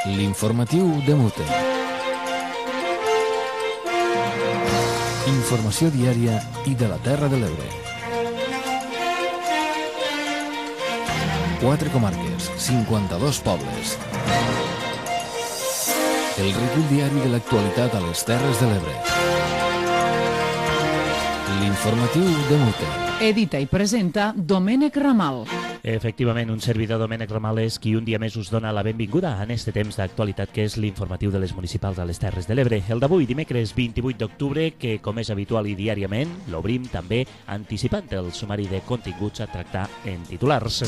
L'informatiu de Mute. Informació diària i de la Terra de l'Ebre. 4 comarques, 52 pobles. El recull diari de l'actualitat a les Terres de l'Ebre. L'informatiu de Mute. Edita i presenta Domènec Ramal. Efectivament, un servidor, Domènec Ramal, és qui un dia més us dona la benvinguda en este temps d'actualitat que és l'informatiu de les municipals a les Terres de l'Ebre. El d'avui, dimecres 28 d'octubre, que com és habitual i diàriament, l'obrim també anticipant el sumari de continguts a tractar en titulars.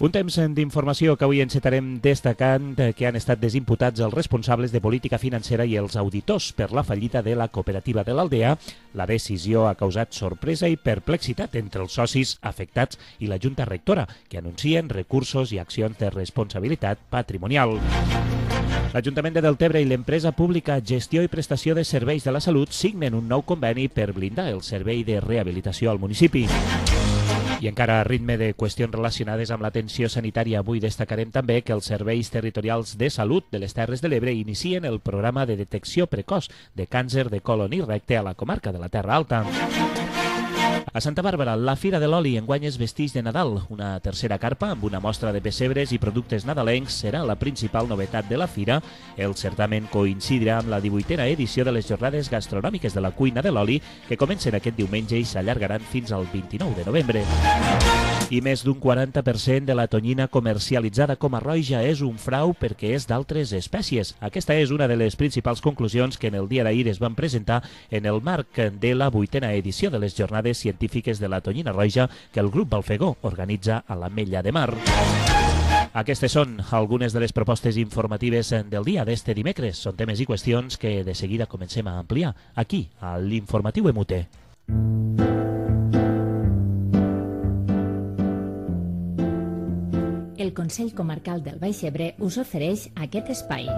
Un temps d'informació que avui encetarem destacant que han estat desimputats els responsables de política financera i els auditors per la fallida de la cooperativa de l'Aldea. La decisió ha causat sorpresa i perplexitat entre els socis afectats i la Junta Rectora, que anuncien recursos i accions de responsabilitat patrimonial. L'Ajuntament de Deltebre i l'empresa pública Gestió i Prestació de Serveis de la Salut signen un nou conveni per blindar el servei de rehabilitació al municipi. I encara a ritme de qüestions relacionades amb l'atenció sanitària, avui destacarem també que els serveis territorials de salut de les Terres de l'Ebre inicien el programa de detecció precoç de càncer de colon i recte a la comarca de la Terra Alta. A Santa Bàrbara, la Fira de l'Oli enguany es vesteix de Nadal. Una tercera carpa amb una mostra de pessebres i productes nadalencs serà la principal novetat de la fira. El certamen coincidirà amb la 18a edició de les jornades gastronòmiques de la cuina de l'oli, que comencen aquest diumenge i s'allargaran fins al 29 de novembre. I més d'un 40% de la tonyina comercialitzada com a roja és un frau perquè és d'altres espècies. Aquesta és una de les principals conclusions que en el dia d'ahir es van presentar en el marc de la 8a edició de les jornades científiques de la tonyina roja que el grup Balfegó organitza a l'Ametlla de Mar. Aquestes són algunes de les propostes informatives del dia d'este dimecres. Són temes i qüestions que de seguida comencem a ampliar aquí, a l'Informatiu Emute. El Consell Comarcal del Baix Ebre us ofereix aquest espai.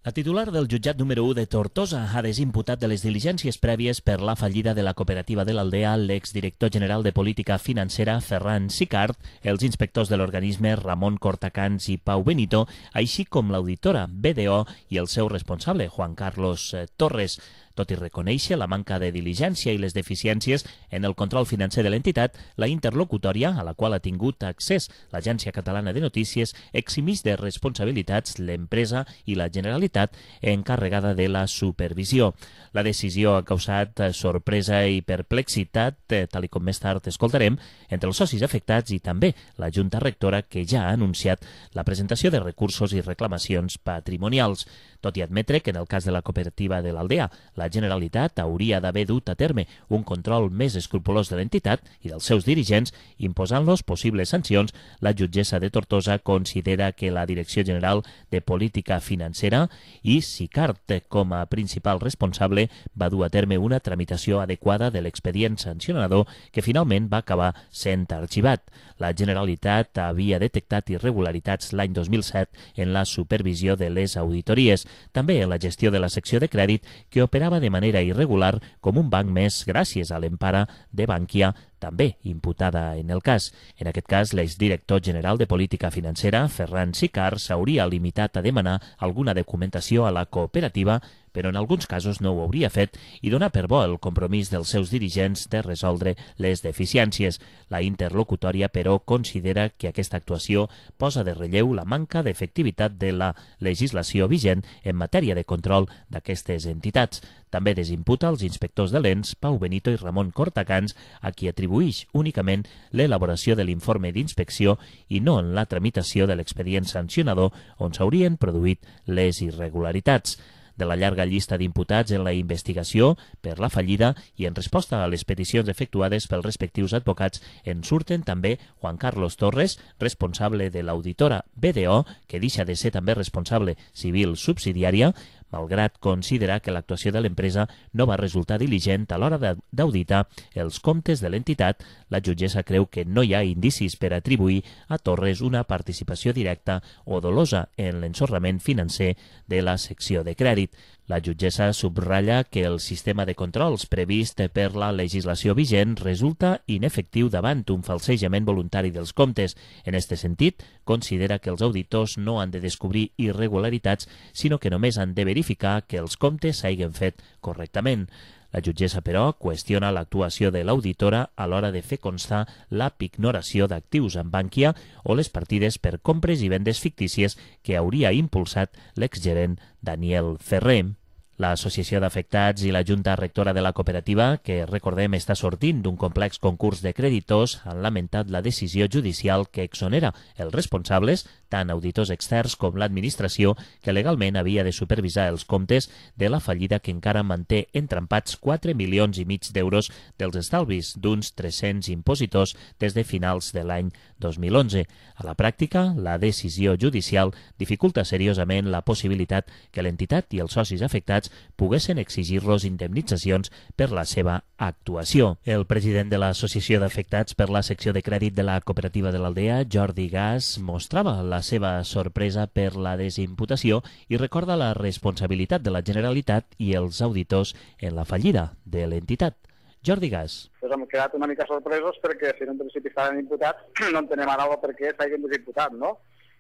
La titular del jutjat número 1 de Tortosa ha desimputat de les diligències prèvies per la fallida de la cooperativa de l'Aldea l'exdirector general de Política Financera Ferran Sicart, els inspectors de l'organisme Ramon Cortacans i Pau Benito, així com l'auditora BDO i el seu responsable, Juan Carlos Torres. Tot i reconèixer la manca de diligència i les deficiències en el control financer de l'entitat, la interlocutòria, a la qual ha tingut accés l'Agència Catalana de Notícies, eximeix de responsabilitats l'empresa i la Generalitat encarregada de la supervisió. La decisió ha causat sorpresa i perplexitat, tal com més tard escoltarem, entre els socis afectats i també la Junta Rectora, que ja ha anunciat la presentació de recursos i reclamacions patrimonials. Tot i admetre que en el cas de la cooperativa de l'Aldea, la Generalitat hauria d'haver dut a terme un control més escrupolós de l'entitat i dels seus dirigents, imposant-los possibles sancions, la jutgessa de Tortosa considera que la Direcció General de Política Financera i Sicart, com a principal responsable, va dur a terme una tramitació adequada de l'expedient sancionador que finalment va acabar sent arxivat. La Generalitat havia detectat irregularitats l'any 2007 en la supervisió de les auditories, també en la gestió de la secció de crèdit, que operava de manera irregular com un banc més gràcies a l'empara de Bankia, també imputada en el cas. En aquest cas, l'exdirector general de Política Financera, Ferran Sicart, s'hauria limitat a demanar alguna documentació a la cooperativa, però en alguns casos no ho hauria fet i donar per bo el compromís dels seus dirigents de resoldre les deficiències. La interlocutòria, però, considera que aquesta actuació posa de relleu la manca d'efectivitat de la legislació vigent en matèria de control d'aquestes entitats. També desimputa als inspectors de l'ENS, Pau Benito i Ramon Cortacans, a qui atribueix únicament l'elaboració de l'informe d'inspecció i no en la tramitació de l'expedient sancionador on s'haurien produït les irregularitats. De la llarga llista d'imputats en la investigació per la fallida i en resposta a les peticions efectuades pels respectius advocats en surten també Juan Carlos Torres, responsable de l'auditora BDO, que deixa de ser també responsable civil subsidiària, malgrat considerar que l'actuació de l'empresa no va resultar diligent a l'hora d'auditar els comptes de l'entitat. La jutgessa creu que no hi ha indicis per atribuir a Torres una participació directa o dolosa en l'ensorrament financer de la secció de crèdit. La jutgessa subratlla que el sistema de controls previst per la legislació vigent resulta inefectiu davant un falsejament voluntari dels comptes. En aquest sentit, considera que els auditors no han de descobrir irregularitats, sinó que només han de verificar que els comptes s'hagin fet correctament. La jutgessa, però, qüestiona l'actuació de l'auditora a l'hora de fer constar la pignoració d'actius en Bankia o les partides per compres i vendes fictícies que hauria impulsat l'exgerent Daniel Ferrer. L'Associació d'Afectats i la Junta Rectora de la cooperativa, que recordem està sortint d'un complex concurs de creditors, han lamentat la decisió judicial que exonera els responsables, tant auditors externs com l'administració, que legalment havia de supervisar els comptes de la fallida que encara manté entrampats 4,5 milions d'euros dels estalvis d'uns 300 impositors des de finals de l'any 2011. A la pràctica, la decisió judicial dificulta seriosament la possibilitat que l'entitat i els socis afectats poguessin exigir-los indemnitzacions per la seva actuació. El president de l'Associació d'Afectats per la secció de crèdit de la cooperativa de l'Aldea, Jordi Gas, mostrava la seva sorpresa per la desimputació i recorda la responsabilitat de la Generalitat i els auditors en la fallida de l'entitat. Jordi Gas. Pues hem quedat una mica sorpresos perquè si en principi estaven imputats no entenem ara per què s'hagin desimputat, no?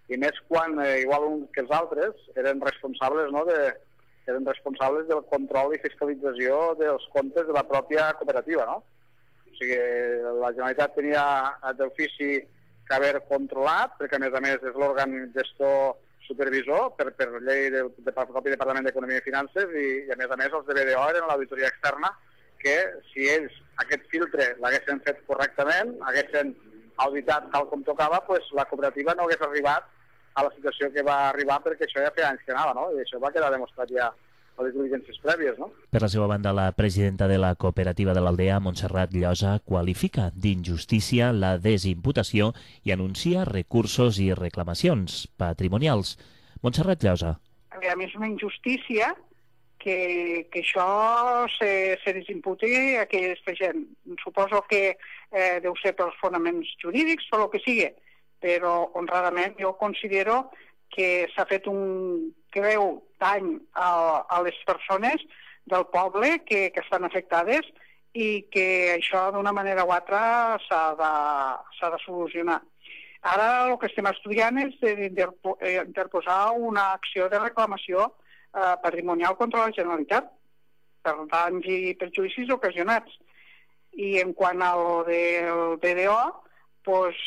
I més quan, igual que els altres, eren responsables, no?, eren responsables del control i fiscalització dels comptes de la pròpia cooperativa, no? O sigui, la Generalitat tenia d'ofici que haver controlat, perquè a més és l'òrgan gestor supervisor per llei del propi Departament d'Economia i Finances i a més els de BDO eren l'auditoria externa que si ells aquest filtre l'haguessin fet correctament, haguessin auditat tal com tocava, doncs la cooperativa no hagués arribat a la situació que va arribar perquè això ja feia anys que anava, no? I això va quedar demostrat ja a les diligències prèvies, no? Per la seva banda, la presidenta de la cooperativa de l'Aldea, Montserrat Llosa, qualifica d'injustícia la desimputació i anuncia recursos i reclamacions patrimonials. Montserrat Llosa. A més, una injustícia que això se desimputi a aquesta gent. Suposo que deu ser pels fonaments jurídics o el que sigui, però honradament jo considero que s'ha fet un greu dany a les persones del poble que estan afectades i que això d'una manera o altra s'ha de solucionar. Ara el que estem estudiant és interposar una acció de reclamació patrimonial contra la Generalitat per danys i perjudicis ocasionats. I en quant al del BDO, doncs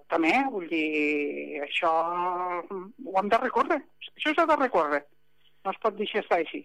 també, vull dir, això ho hem de recórrer. Això s'ha de recórrer. No es pot deixar estar així.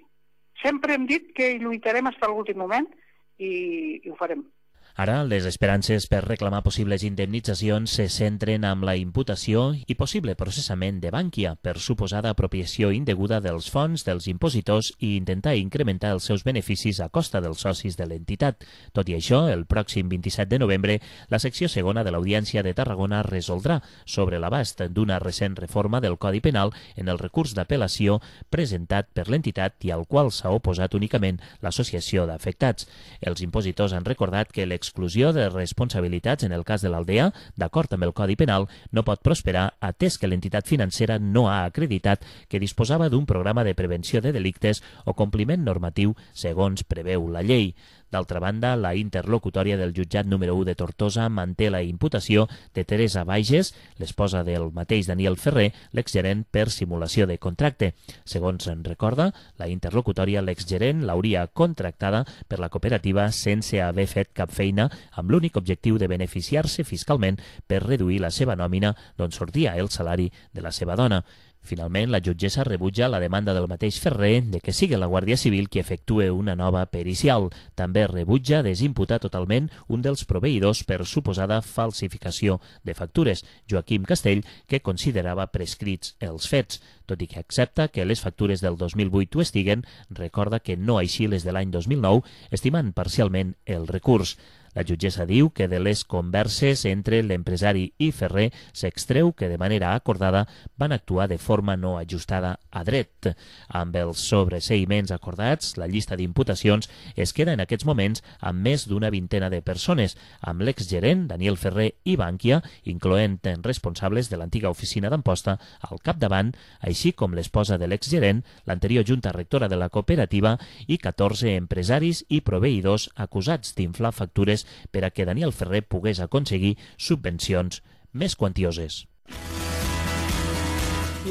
Sempre hem dit que lluitarem fins a l'últim moment i ho farem. Ara, les esperances per reclamar possibles indemnitzacions se centren amb la imputació i possible processament de Bankia per suposada apropiació indeguda dels fons dels impositors i intentar incrementar els seus beneficis a costa dels socis de l'entitat. Tot i això, el pròxim 27 de novembre, la secció segona de l'Audiència de Tarragona resoldrà sobre l'abast d'una recent reforma del Codi Penal en el recurs d'apel·lació presentat per l'entitat i al qual s'ha oposat únicament l'Associació d'Afectats. Els impositors han recordat que l'exclusió de responsabilitats en el cas de l'Aldea, d'acord amb el Codi Penal, no pot prosperar atès que l'entitat financera no ha acreditat que disposava d'un programa de prevenció de delictes o compliment normatiu segons preveu la llei. D'altra banda, la interlocutòria del jutjat número 1 de Tortosa manté la imputació de Teresa Bages, l'esposa del mateix Daniel Ferrer, l'exgerent per simulació de contracte. Segons en recorda, la interlocutòria, l'exgerent l'hauria contractada per la cooperativa sense haver fet cap feina amb l'únic objectiu de beneficiar-se fiscalment per reduir la seva nòmina d'on sortia el salari de la seva dona. Finalment, la jutgessa rebutja la demanda del mateix Ferrer de que sigui la Guàrdia Civil qui efectue una nova pericial. També rebutja desimputar totalment un dels proveïdors per suposada falsificació de factures, Joaquim Castell, que considerava prescrits els fets. Tot i que accepta que les factures del 2008 ho estiguen, recorda que no així les de l'any 2009, estimant parcialment el recurs. La jutgessa diu que de les converses entre l'empresari i Ferrer s'extreu que de manera acordada van actuar de forma no ajustada a dret. Amb els sobreseïments acordats, la llista d'imputacions es queda en aquests moments amb més d'una vintena de persones, amb l'exgerent Daniel Ferrer i Bankia, incloent responsables de l'antiga oficina d'Amposta al capdavant, així com l'esposa de l'exgerent, l'anterior junta rectora de la cooperativa i 14 empresaris i proveïdors acusats d'inflar factures per a que Daniel Ferrer pogués aconseguir subvencions més quantioses.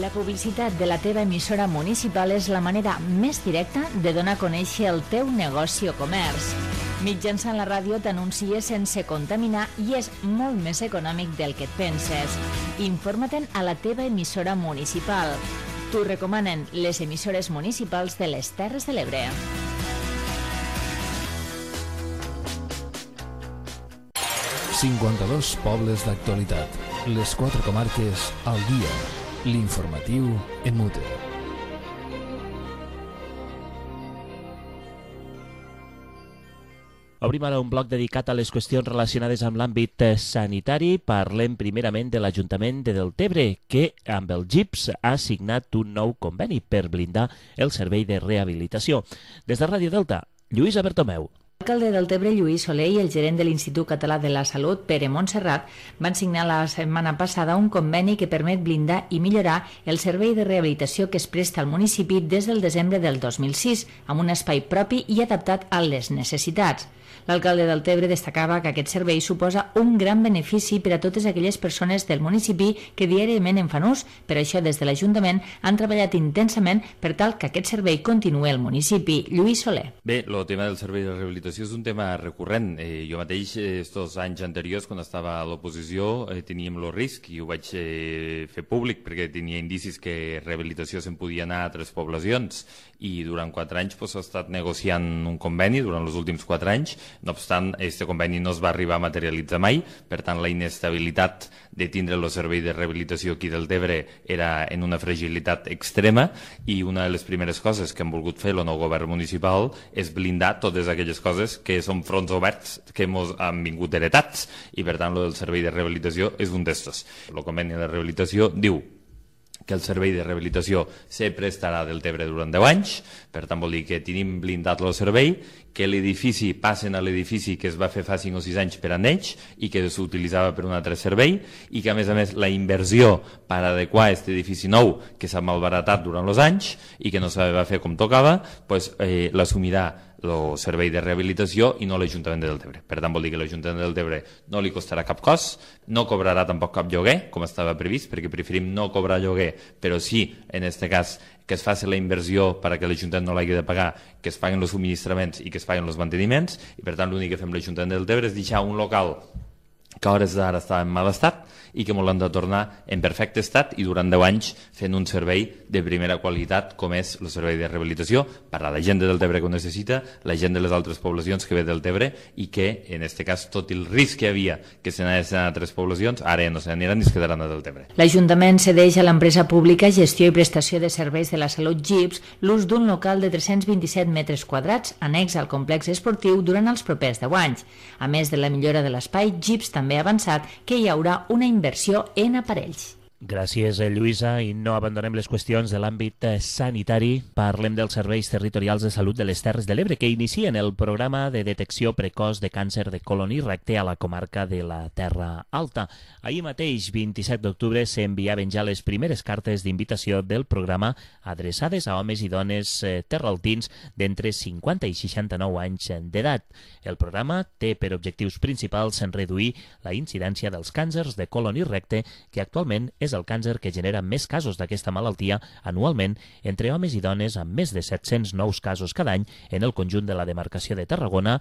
La publicitat de la teva emissora municipal és la manera més directa de donar a conèixer el teu negoci o comerç. Mitjançant la ràdio t'anuncies sense contaminar i és molt més econòmic del que et penses. Informa-te'n a la teva emissora municipal. T'ho recomanen les emissores municipals de les Terres de l'Ebre. 52 pobles d'actualitat. Les 4 comarques al dia. L'informatiu en mute. Obrim ara un bloc dedicat a les qüestions relacionades amb l'àmbit sanitari. Parlem primerament de l'Ajuntament de Deltebre, que amb el GIPS ha signat un nou conveni per blindar el servei de rehabilitació. Des de Ràdio Delta, Lluïsa Bertomeu. L'alcalde del Deltebre, Lluís Soler, i el gerent de l'Institut Català de la Salut, Pere Montserrat, van signar la setmana passada un conveni que permet blindar i millorar el servei de rehabilitació que es presta al municipi des del desembre del 2006, amb un espai propi i adaptat a les necessitats. L'alcalde del Deltebre destacava que aquest servei suposa un gran benefici per a totes aquelles persones del municipi que diàriament en fan ús. Per això, des de l'Ajuntament, han treballat intensament per tal que aquest servei continuï al municipi. Lluís Soler. Bé, el tema del servei de rehabilitació és un tema recurrent. Jo mateix, estos anys anteriors, quan estava a l'oposició, teníem el risc, i ho vaig fer públic perquè tenia indicis que rehabilitació se'n podia anar a altres poblacions, i durant 4 anys s'ha estat negociant un conveni, durant els últims 4 anys. No obstant, aquest conveni no es va arribar a materialitzar mai, per tant la inestabilitat de tindre el servei de rehabilitació aquí del Deltebre era en una fragilitat extrema, i una de les primeres coses que hem volgut fer el nou govern municipal és blindar totes aquelles coses que són fronts oberts que han vingut heretats, i per tant el servei de rehabilitació és un d'estos. El conveni de rehabilitació diu que el servei de rehabilitació se prestarà del Deltebre durant 10 anys, per tant vol dir que tenim blindat el servei, que l'edifici passen a l'edifici que es va fer fa 5 o 6 anys per a ells i que s'utilitzava per un altre servei, i que a més la inversió per adequar aquest edifici nou que s'ha malbaratat durant els anys i que no s'ha fer com tocava, l'assumirà el servei de rehabilitació i no l'Ajuntament de Deltebre. Per tant, vol dir que l'Ajuntament de Deltebre no li costarà cap cost, no cobrarà tampoc cap lloguer, com estava previst, perquè preferim no cobrar lloguer, però sí, en aquest cas, que es faci la inversió perquè l'Ajuntament no l'hagi de pagar, que es paguen els subministraments i que es paguen els manteniments, i per tant l'únic que fem l'Ajuntament de Deltebre és deixar un local que a hores d'ara està en mal estat i que molt han de tornar en perfecte estat, i durant 10 anys fent un servei de primera qualitat com és el servei de rehabilitació per a la gent de Deltebre que ho necessita, la gent de les altres poblacions que ve del Deltebre, i que en aquest cas tot el risc que hi havia que se n'anessin a altres poblacions ara no se n'aniran i es quedaran a Deltebre. L'Ajuntament cedeix a l'empresa pública Gestió i Prestació de Serveis de la Salut GIPS l'ús d'un local de 327 metres quadrats annex al complex esportiu durant els propers 10 anys. A més de la millora de l'espai, GIPS també ha avançat que hi haurà una inversió en aparells. Gràcies, Lluïsa, i no abandonem les qüestions de l'àmbit sanitari. Parlem dels serveis territorials de salut de les Terres de l'Ebre, que inicien el programa de detecció precoç de càncer de colon i recte a la comarca de la Terra Alta. Ahir mateix, 27 d'octubre, s'enviaven ja les primeres cartes d'invitació del programa adreçades a homes i dones terraltins d'entre 50 i 69 anys d'edat. El programa té per objectius principals reduir la incidència dels càncers de colon i recte, que actualment és el càncer que genera més casos d'aquesta malaltia anualment entre homes i dones, amb més de 700 nous casos cada any en el conjunt de la demarcació de Tarragona.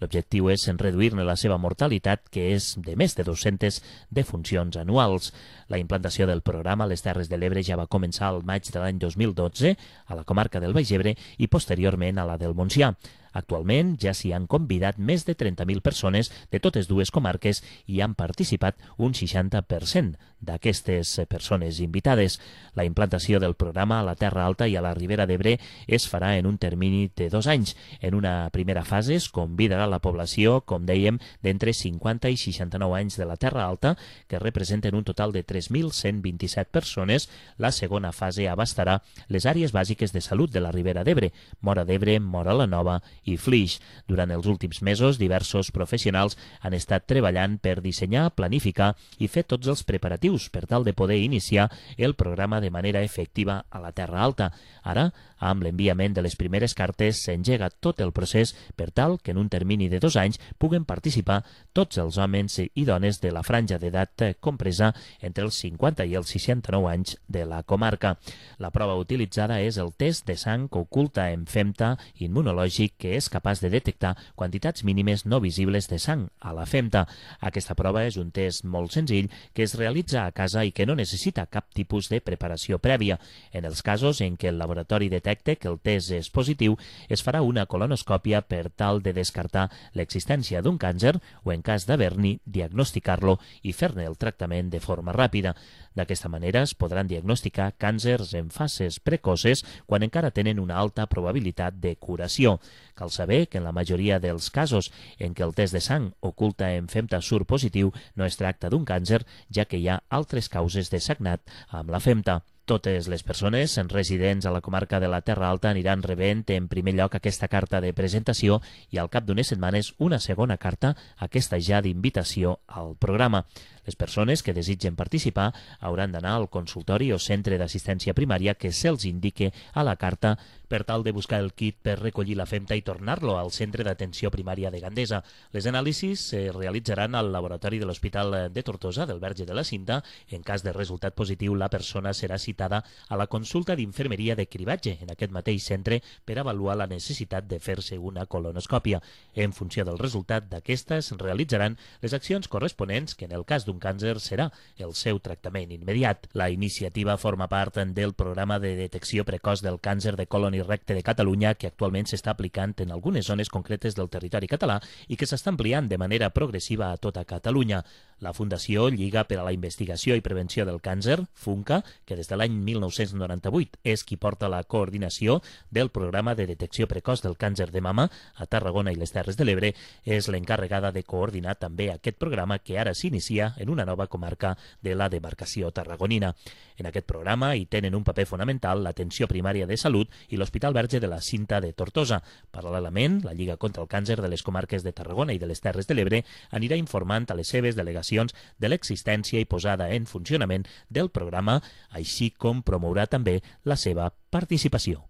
L'objectiu és reduir-ne la seva mortalitat, que és de més de 200 defuncions anuals. La implantació del programa a les Terres de l'Ebre ja va començar al maig de l'any 2012 a la comarca del Baix Ebre i posteriorment a la del Montsià. Actualment ja s'hi han convidat més de 30.000 persones de totes dues comarques i han participat un 60% d'aquestes persones invitades. La implantació del programa a la Terra Alta i a la Ribera d'Ebre es farà en un termini de 2 anys. En una primera fase es convidarà la població, com dèiem, d'entre 50 i 69 anys de la Terra Alta, que representen un total de 3.127 persones. La segona fase abastarà les àrees bàsiques de salut de la Ribera d'Ebre, Móra d'Ebre, Móra la Nova i Flix. Durant els últims mesos, diversos professionals han estat treballant per dissenyar, planificar i fer tots els preparatius per tal de poder iniciar el programa de manera efectiva a la Terra Alta. Ara, amb l'enviament de les primeres cartes, s'engega tot el procés per tal que en un termini de 2 anys puguen participar tots els homes i dones de la franja d'edat compresa entre els 50 i els 69 anys de la comarca. La prova utilitzada és el test de sang oculta en femta immunològic, que és capaç de detectar quantitats mínimes no visibles de sang a la femta. Aquesta prova és un test molt senzill que es realitza a casa i que no necessita cap tipus de preparació prèvia. En els casos en què el laboratori detecte que el test és positiu, es farà una colonoscòpia per tal de descartar l'existència d'un càncer o, en cas d'haver-n'hi, diagnosticar-lo i fer-ne el tractament de forma ràpida. D'aquesta manera es podran diagnosticar càncers en fases precoces quan encara tenen una alta probabilitat de curació. Cal saber que en la majoria dels casos en què el test de sang oculta en femta surt positiu no es tracta d'un càncer, ja que hi ha altres causes de sagnat amb la femta. Totes les persones residents a la comarca de la Terra Alta aniran rebent en primer lloc aquesta carta de presentació i al cap d'unes setmanes una segona carta, aquesta ja d'invitació al programa. Les persones que desitgen participar hauran d'anar al consultori o centre d'assistència primària que se'ls indique a la carta per tal de buscar el kit per recollir la femta i tornar-lo al centre d'atenció primària de Gandesa. Les anàlisis es realitzaran al laboratori de l'Hospital de Tortosa del Verge de la Cinta. En cas de resultat positiu, la persona serà citada a la consulta d'infermeria de cribatge en aquest mateix centre per avaluar la necessitat de fer-se una colonoscòpia. En funció del resultat d'aquestes, realitzaran les accions corresponents, que en el cas d'un càncer serà el seu tractament immediat. La iniciativa forma part del programa de detecció precoç del càncer de colon i recte de Catalunya, que actualment s'està aplicant en algunes zones concretes del territori català i que s'està ampliant de manera progressiva a tota Catalunya. La Fundació Lliga per a la Investigació i Prevenció del Càncer, FUNCA, que des de l'any 1998 és qui porta la coordinació del programa de detecció precoç del càncer de mama a Tarragona i les Terres de l'Ebre, és l'encarregada de coordinar també aquest programa que ara s'inicia en una nova comarca de la demarcació tarragonina. En aquest programa hi tenen un paper fonamental l'atenció primària de salut i l'Hospital Verge de la Cinta de Tortosa. Paral·lelament, la Lliga contra el Càncer de les comarques de Tarragona i de les Terres de l'Ebre anirà informant a les seves delegacions de l'existència i posada en funcionament del programa, així com promourà també la seva participació.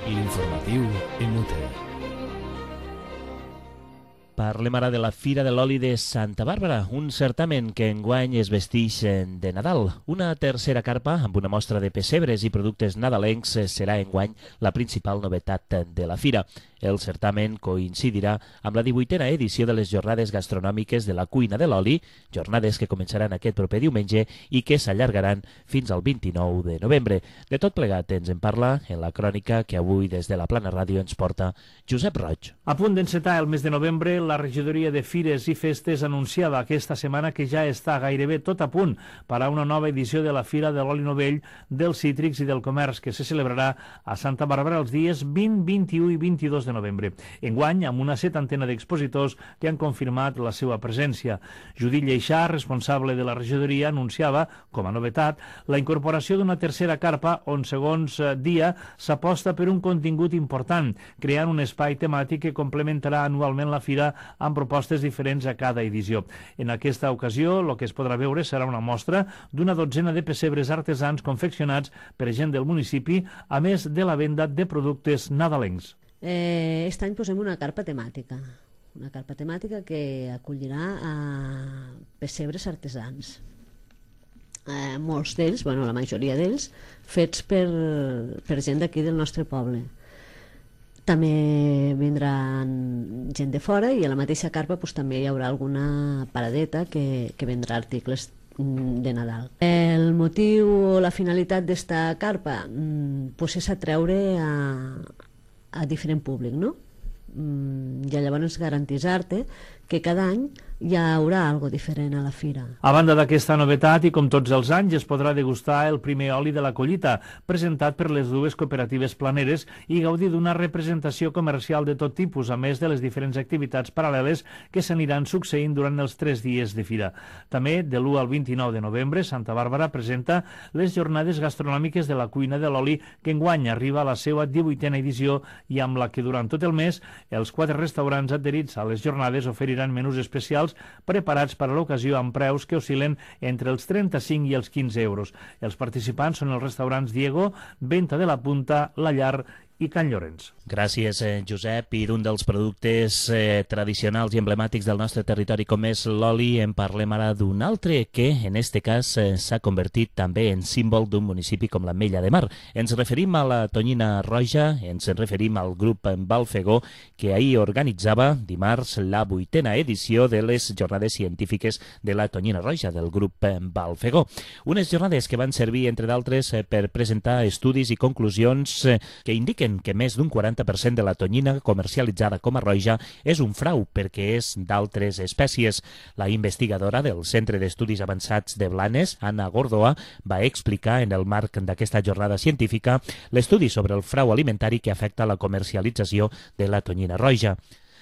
L'informatiu en UTE. Parlem ara de la Fira de l'Oli de Santa Bàrbara, un certamen que enguany es vestix de Nadal. Una tercera carpa amb una mostra de pessebres i productes nadalencs serà enguany la principal novetat de la fira. El certamen coincidirà amb la 18a edició de les Jornades Gastronòmiques de la Cuina de l'Oli, jornades que començaran aquest proper diumenge i que s'allargaran fins al 29 de novembre. De tot plegat ens en parla en la crònica que avui des de la Plana Ràdio ens porta Josep Roig. A punt d'encetar el mes de novembre, la regidoria de Fires i Festes anunciava aquesta setmana que ja està gairebé tot a punt per a una nova edició de la Fira de l'Oli Novell, dels Cítrics i del Comerç, que se celebrarà a Santa Bàrbara els dies 20, 21 i 22 de novembre. Enguany, amb una 70ena d'expositors que han confirmat la seva presència. Judit Lleixà, responsable de la regidoria, anunciava, com a novetat, la incorporació d'una tercera carpa on, segons dia, s'aposta per un contingut important, creant un espai temàtic que complementarà anualment la fira amb propostes diferents a cada edició. En aquesta ocasió, el que es podrà veure serà una mostra d'una 12ena de pessebres artesans confeccionats per gent del municipi, a més de la venda de productes nadalencs. Aquest any posem una carpa temàtica que acollirà a pessebres artesans. Molts d'ells, la majoria d'ells, fets per gent d'aquí del nostre poble. També vindran gent de fora i a la mateixa carpa també hi haurà alguna paradeta que vendrà articles de Nadal. El motiu o la finalitat d'esta carpa és atreure a diferent públic, no? I llavors garantir-te que cada any hi haurà algo diferent a la fira. A banda d'aquesta novetat, i com tots els anys, es podrà degustar el primer oli de la collita, presentat per les dues cooperatives planeres i gaudir d'una representació comercial de tot tipus, a més de les diferents activitats paral·leles que s'aniran succeint durant els 3 dies de fira. També, de l'1 al 29 de novembre, Santa Bàrbara presenta les jornades gastronòmiques de la cuina de l'oli, que enguany arriba a la seva 18a edició i amb la que durant tot el mes els 4 restaurants adherits a les jornades oferiran menús especials preparats per a l'ocasió amb preus que oscil·len entre els 35 i els 15 euros. Els participants són els restaurants Diego, Venta de la Punta, La Llar i Can Llorenç. Gràcies, Josep. I d'un dels productes tradicionals i emblemàtics del nostre territori com és l'oli, en parlem ara d'un altre que, en este cas, s'ha convertit també en símbol d'un municipi com l'Ametlla de Mar. Ens referim a la tonyina roja, ens referim al grup Balfegó, que ahir organitzava dimarts la 8a edició de les jornades científiques de la tonyina roja del grup Balfegó. Unes jornades que van servir, entre d'altres, per presentar estudis i conclusions que indiquen que més d'un 40% de la tonyina comercialitzada com a roja és un frau perquè és d'altres espècies. La investigadora del Centre d'Estudis Avançats de Blanes, Anna Gordoa, va explicar en el marc d'aquesta jornada científica l'estudi sobre el frau alimentari que afecta la comercialització de la tonyina roja.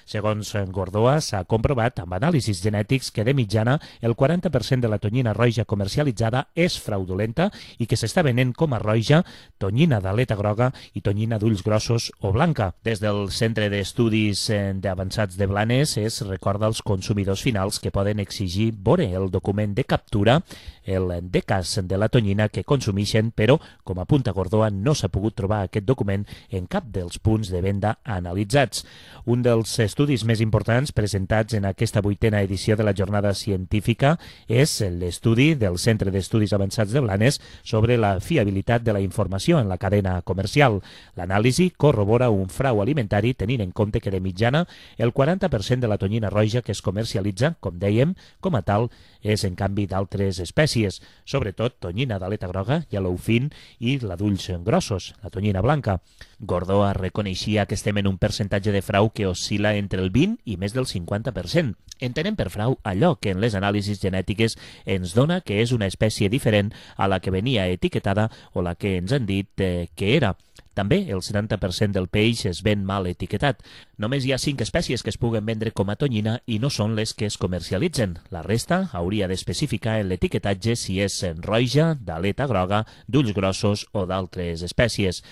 Segons Gordoa, s'ha comprovat amb anàlisis genètics que de mitjana el 40% de la tonyina roja comercialitzada és fraudulenta i que s'està venent com a roja, tonyina d'aleta groga i tonyina d'ulls grossos o blanca. Des del Centre d'Estudis Avançats de Blanes es recorda als consumidors finals que poden exigir veure el document de captura, el decàs de la tonyina que consumeixen, però, com apunta Gordoa, no s'ha pogut trobar aquest document en cap dels punts de venda analitzats. Un dels estudis més importants presentats en aquesta 8a edició de la jornada científica és l'estudi del Centre d'Estudis Avançats de Blanes sobre la fiabilitat de la informació en la cadena comercial. L'anàlisi corrobora un frau alimentari tenint en compte que de mitjana el 40% de la tonyina roja que es comercialitza, com dèiem, com a tal, és en canvi d'altres espècies, sobretot tonyina d'aleta groga, yellowfin i la d'ulls grossos, la tonyina blanca. Gordoa reconeixia que estem en un percentatge de frau que oscil·la entre el 20 i més del 50%. Entenem per frau allò que en les anàlisis genètiques ens dona que és una espècie diferent a la que venia etiquetada o la que ens han dit que era. També el 70% del peix es ven mal etiquetat. Només hi ha 5 espècies que es puguen vendre com a tonyina i no són les que es comercialitzen. La resta hauria d'especificar en l'etiquetatge si és roja, d'aleta groga, d'ulls grossos o d'altres espècies.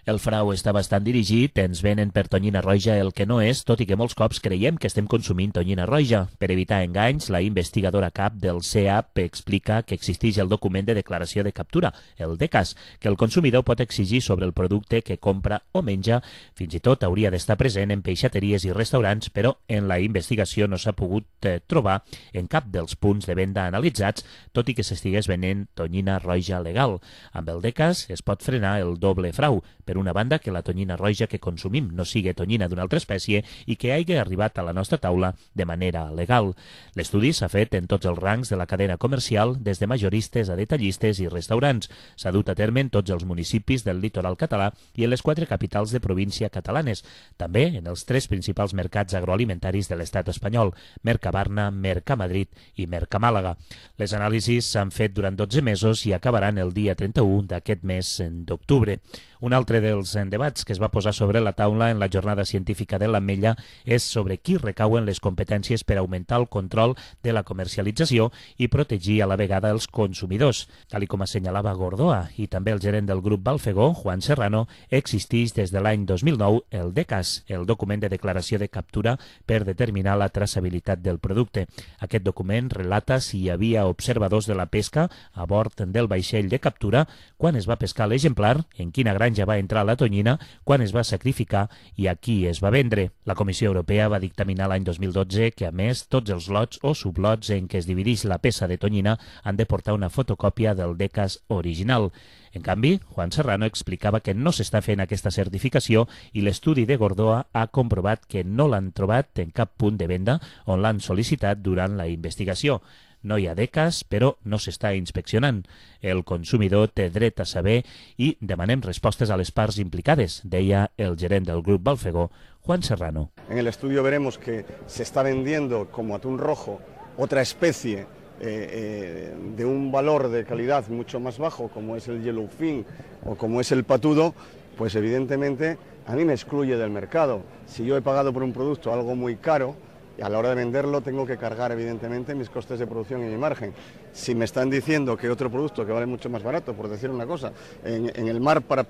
El frau està bastant dirigit, ens venen per tonyina roja el que no és, tot i que molts cops creiem que estem consumint tonyina roja. Per evitar enganys, la investigadora cap del CEAP explica que existeix el document de declaració de captura, el DECAS, que el consumidor pot exigir sobre el producte que compra o menja. Fins i tot hauria d'estar present en peixateries i restaurants, però en la investigació no s'ha pogut trobar en cap dels punts de venda analitzats, tot i que s'estigués venent tonyina roja legal. Amb el DECAS es pot frenar el doble frau. Per una banda, que la tonyina roja que consumim no sigui tonyina d'una altra espècie i que hagi arribat a la nostra taula de manera legal. L'estudi s'ha fet en tots els rangs de la cadena comercial, des de majoristes a detallistes i restaurants. S'ha dut a terme en tots els municipis del litoral català i en les 4 capitals de província catalanes, també en els 3 principals mercats agroalimentaris de l'estat espanyol, Mercabarna, Mercamadrid i Mercamàlaga. Les anàlisis s'han fet durant 12 mesos i acabaran el dia 31 d'aquest mes d'octubre. Un altre dels debats que es va posar sobre la taula en la jornada científica de l'Ametlla és sobre qui recauen les competències per augmentar el control de la comercialització i protegir a la vegada els consumidors. Tal com assenyalava Gordoa i també el gerent del grup Balfegó, Juan Serrano, existeix des de l'any 2009 el DECAS, el document de declaració de captura per determinar la traçabilitat del producte. Aquest document relata si hi havia observadors de la pesca a bord del vaixell de captura, quan es va pescar l'exemplar, en quina granja va entrar la tonyina, quan es va sacrificar i a qui es va vendre. La Comissió Europea va dictaminar l'any 2012 que, a més, tots els lots o sublots en què es divideix la peça de tonyina han de portar una fotocòpia del DECAS original. En canvi, Juan Serrano explicava que no s'està fent aquesta certificació i l'estudi de Gordoa ha comprovat que no l'han trobat en cap punt de venda on l'han sol·licitat durant la investigació. No hi ha DECAs, però no s'està inspeccionant. El consumidor té dret a saber i demanem respostes a les parts implicades, deia el gerent del grup Balfegó, Juan Serrano. En el estudio veremos que se está vendiendo como atún rojo otra especie de un valor de calidad mucho más bajo, como es el yellowfin o como es el patudo, pues evidentemente a mí me excluye del mercado. Si yo he pagado por un producto algo muy caro, y a la hora de venderlo tengo que cargar evidentemente mis costes de producción y mi margen. Si me están diciendo que otro producto que vale mucho más barato, por decir una cosa, en el mar para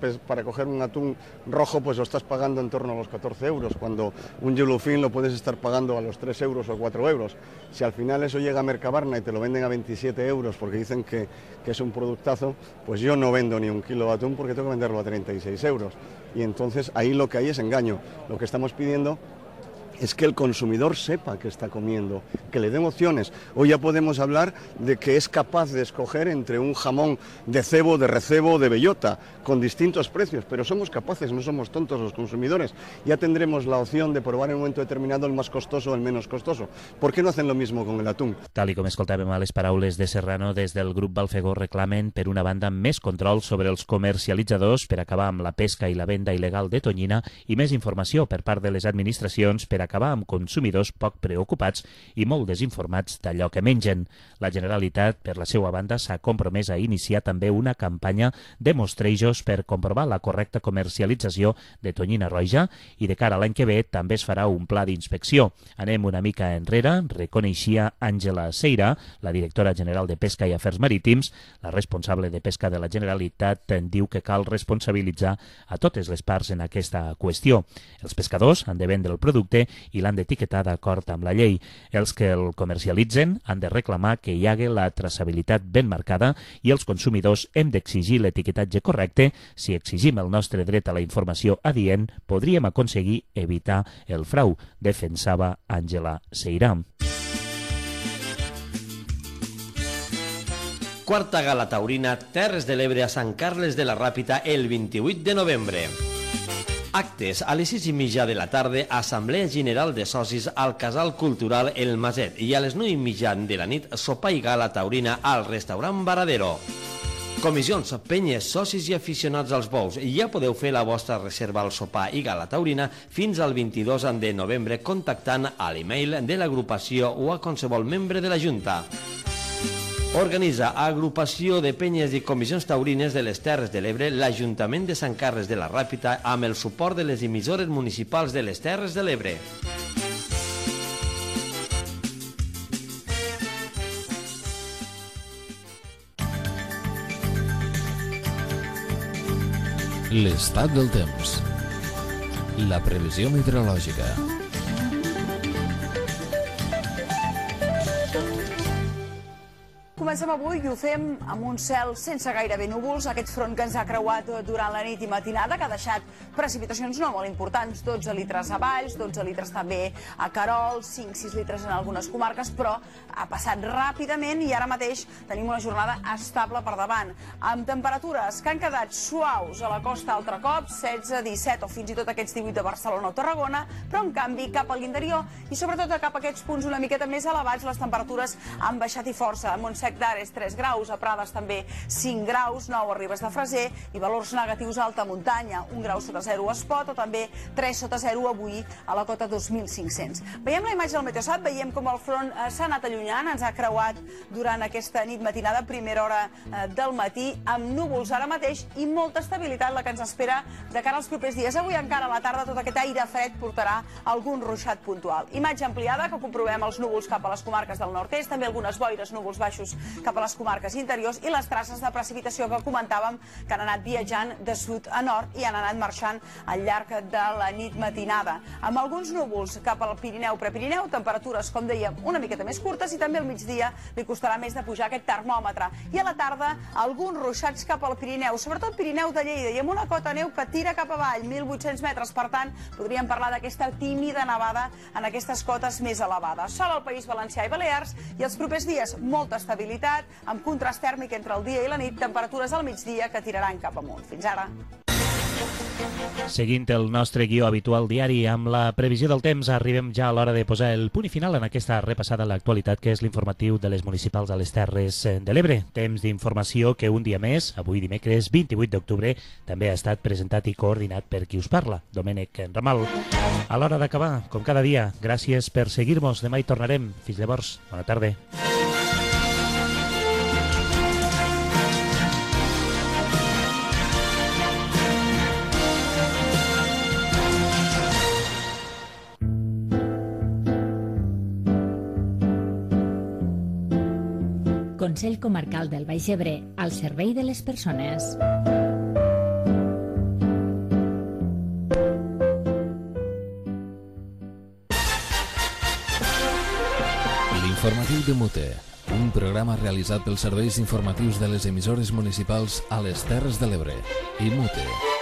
coger un atún rojo pues lo estás pagando en torno a los 14 euros, cuando un yellowfin lo puedes estar pagando a los 3 euros o 4 euros. Si al final eso llega a Mercabarna y te lo venden a 27 euros porque dicen que es un productazo, pues yo no vendo ni un kilo de atún porque tengo que venderlo a 36 euros. Y entonces ahí lo que hay es engaño. Lo que estamos pidiendo es que el consumidor sepa que está comiendo, que le den opciones. Hoy ya podemos hablar de que es capaz de escoger entre un jamón de cebo, de recebo, de bellota, con distintos precios, pero somos capaces, no somos tontos los consumidores. Ya tendremos la opción de probar en un momento determinado el más costoso o el menos costoso. ¿Por qué no hacen lo mismo con el atún? Tal i com escoltàvem a les paraules de Serrano, des del grup Balfegó reclamen, per una banda, més control sobre els comercialitzadors per acabar amb la pesca i la venda il·legal de tonyina i més informació per part de les administracions per acabar amb consumidors poc preocupats i molt desinformats d'allò que mengen. La Generalitat, per la seva banda, s'ha compromès a iniciar també una campanya de mostrejos per comprovar la correcta comercialització de tonyina roja i de cara a l'any que ve també es farà un pla d'inspecció. Anem una mica enrere, reconeixia Àngela Seira, la directora general de Pesca i Afers Marítims. La responsable de Pesca de la Generalitat diu que cal responsabilitzar a totes les parts en aquesta qüestió. Els pescadors han de vendre el producte i l'han d'etiquetar d'acord amb la llei. Els que el comercialitzen han de reclamar que hi hagi la traçabilitat ben marcada i els consumidors hem d'exigir l'etiquetatge correcte. Si exigim el nostre dret a la informació adient, podríem aconseguir evitar el frau, defensava Àngela Seirà. Quarta gala taurina Terres de l'Ebre a Sant Carles de la Ràpita el 28 de novembre. Actes a les 6:30 de la tarda, Assemblea General de Socis al Casal Cultural El Maset i a les 9:30 de la nit, sopar i gala taurina al restaurant Varadero. Comissions, penyes, socis i aficionats als bous. Ja podeu fer la vostra reserva al sopar i gala taurina fins al 22 de novembre contactant a l'email de l'agrupació o a qualsevol membre de la Junta. Organitza Agrupació de Penyes i Comissions Taurines de les Terres de l'Ebre l'Ajuntament de Sant Carles de la Ràpita amb el suport de les emissores municipals de les Terres de l'Ebre. L'estat del temps. La previsió meteorològica. Comencem avui i ho fem amb un cel sense gairebé núvols, aquest front que ens ha creuat durant la nit i matinada, que ha deixat precipitacions no molt importants, 12 litres a Valls, 12 litres també a Querol, 5-6 litres en algunes comarques, però ha passat ràpidament i ara mateix tenim una jornada estable per davant, amb temperatures que han quedat suaus a la costa altre cop, 16, 17 o fins i tot aquests 18 de Barcelona o Tarragona, però en canvi cap a l'interior i sobretot cap a aquests punts una miqueta més elevats les temperatures han baixat i força. A Montsec d'Ares 3 graus, a Prades també 5 graus, 9 a Ribes de Freser i valors negatius a alta muntanya, 1 grau sota 0 a Espot o també 3 sota 0 avui a la cota 2.500. Veiem la imatge del Meteosat, veiem com el front s'ha anat allunyant, ens ha creuat durant aquesta nit matinada, primera hora del matí, amb núvols ara mateix i molta estabilitat la que ens espera de cara als propers dies. Avui encara a la tarda tot aquest aire fred portarà algun ruixat puntual. Imatge ampliada que comprovem els núvols cap a les comarques del nord-est, també algunes boires, núvols baixos cap a les comarques interiors i les traces de precipitació que comentàvem que han anat viatjant de sud a nord i han anat marxant al llarg de la nit matinada. Amb alguns núvols cap al Pirineu, Prepirineu, temperatures, com dèiem, una miqueta més curtes i també al migdia li costarà més de pujar aquest termòmetre. I a la tarda, alguns ruixats cap al Pirineu, sobretot Pirineu de Lleida, i amb una cota neu que tira cap avall, 1.800 metres. Per tant, podríem parlar d'aquesta tímida nevada en aquestes cotes més elevades. Sol al País Valencià i Balears i els propers dies molta estabilitat, amb contrast tèrmic entre el dia i la nit, temperatures al migdia que tiraran cap amunt. Fins ara. Seguint el nostre guió habitual diari amb la previsió del temps, arribem ja a l'hora de posar el punt i final en aquesta repassada a l'actualitat que és l'informatiu de les municipals a les Terres de l'Ebre. Temps d'informació que un dia més, avui dimecres 28 d'octubre, també ha estat presentat i coordinat per qui us parla, Domènec Ramal. A l'hora d'acabar, com cada dia, gràcies per seguir-nos. Demà hi tornarem. Fins llavors, bona tarda. Consell Comarcal del Baix Ebre, al servei de les persones. L'informatiu de Mute, un programa realitzat pels serveis informatius de les emissores municipals a les Terres de l'Ebre i Mute.